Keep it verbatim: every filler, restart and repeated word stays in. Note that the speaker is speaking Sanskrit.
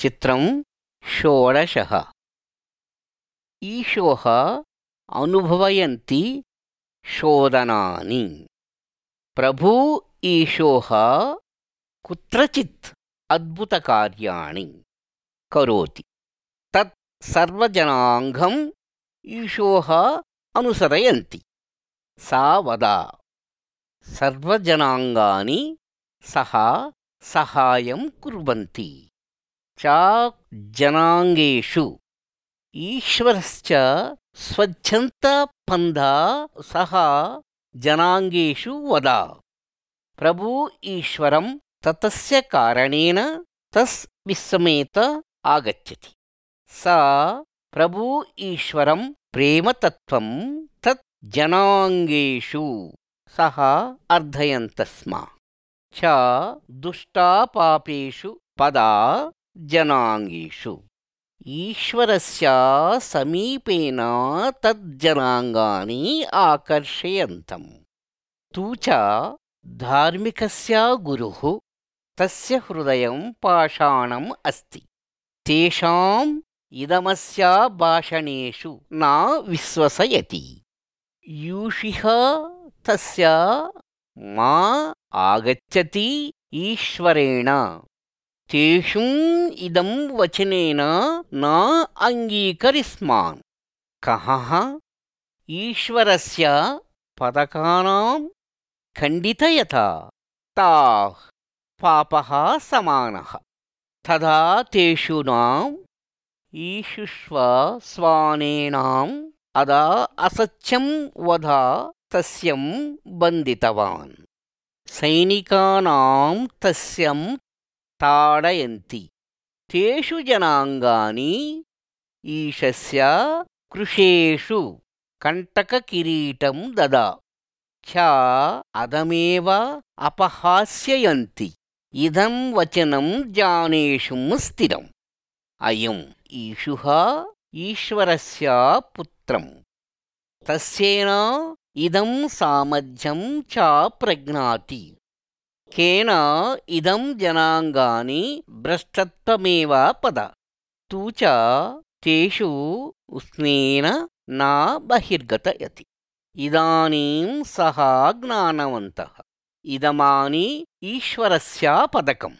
चित्रं षोडशः। ईशोः अनुभवयन्ति शोधनानि। प्रभु ईशोः कुत्रचित् अद्भुतकार्याणि करोति। तत् सर्वजनाङ्गम् ईशोः अनुसरयन्ति। सा वदा सर्वजनाङ्गानि सः सहायं कुर्वन्ति च जनाङ्गेषु ईश्वरश्च स्वच्छन्तपन्था सः जनाङ्गेषु वदा। प्रभु ईश्वरं ततस्य कारणेन तस् विस्मयेत आगच्छति। सा प्रभु ईश्वरं प्रेमतत्त्वं तत् जनाङ्गेषु सः अर्धयन्तस्म च दुष्टापापेषु पदा जनाङ्गेषु ईश्वरस्य समीपेन तज्जनाङ्गानि आकर्षयन्तम्। तु च धार्मिकस्य गुरुः तस्य हृदयं पाषाणम् अस्ति। तेषाम् इदमस्य भाषणेषु न विश्वसयति। यूषिः तस्य मा आगच्छति ईश्वरेण तेषुम् इदं वचनेन न अङ्गीकरिष्मान्। कः ईश्वरस्य पदकानां खण्डितयता ताः पापः समानः। तदा तेषु नाम् ईशुष्व स्वानेनाम् अदा असत्यं वधा तस्यं बन्धितवान्। सैनिकानां तस्यं ताडयन्ति। तेषु जनाङ्गानि ईशस्य कृशेषु कण्टककिरीटं ददा च अदमेव अपहास्ययन्ति। इदं वचनं जानेषुं स्थिरम्। अयम् ईशुः ईश्वरस्य पुत्रम्। तस्येन इदं सामर्थ्यं च प्रज्ञाति। केन इदं जनाङ्गानि भ्रष्टत्वमेव पद। तु च तेषु उष्णेन न बहिर्गतयति। इदानीं सः ज्ञानवन्तः। इदमानि ईश्वरस्य पदकम्।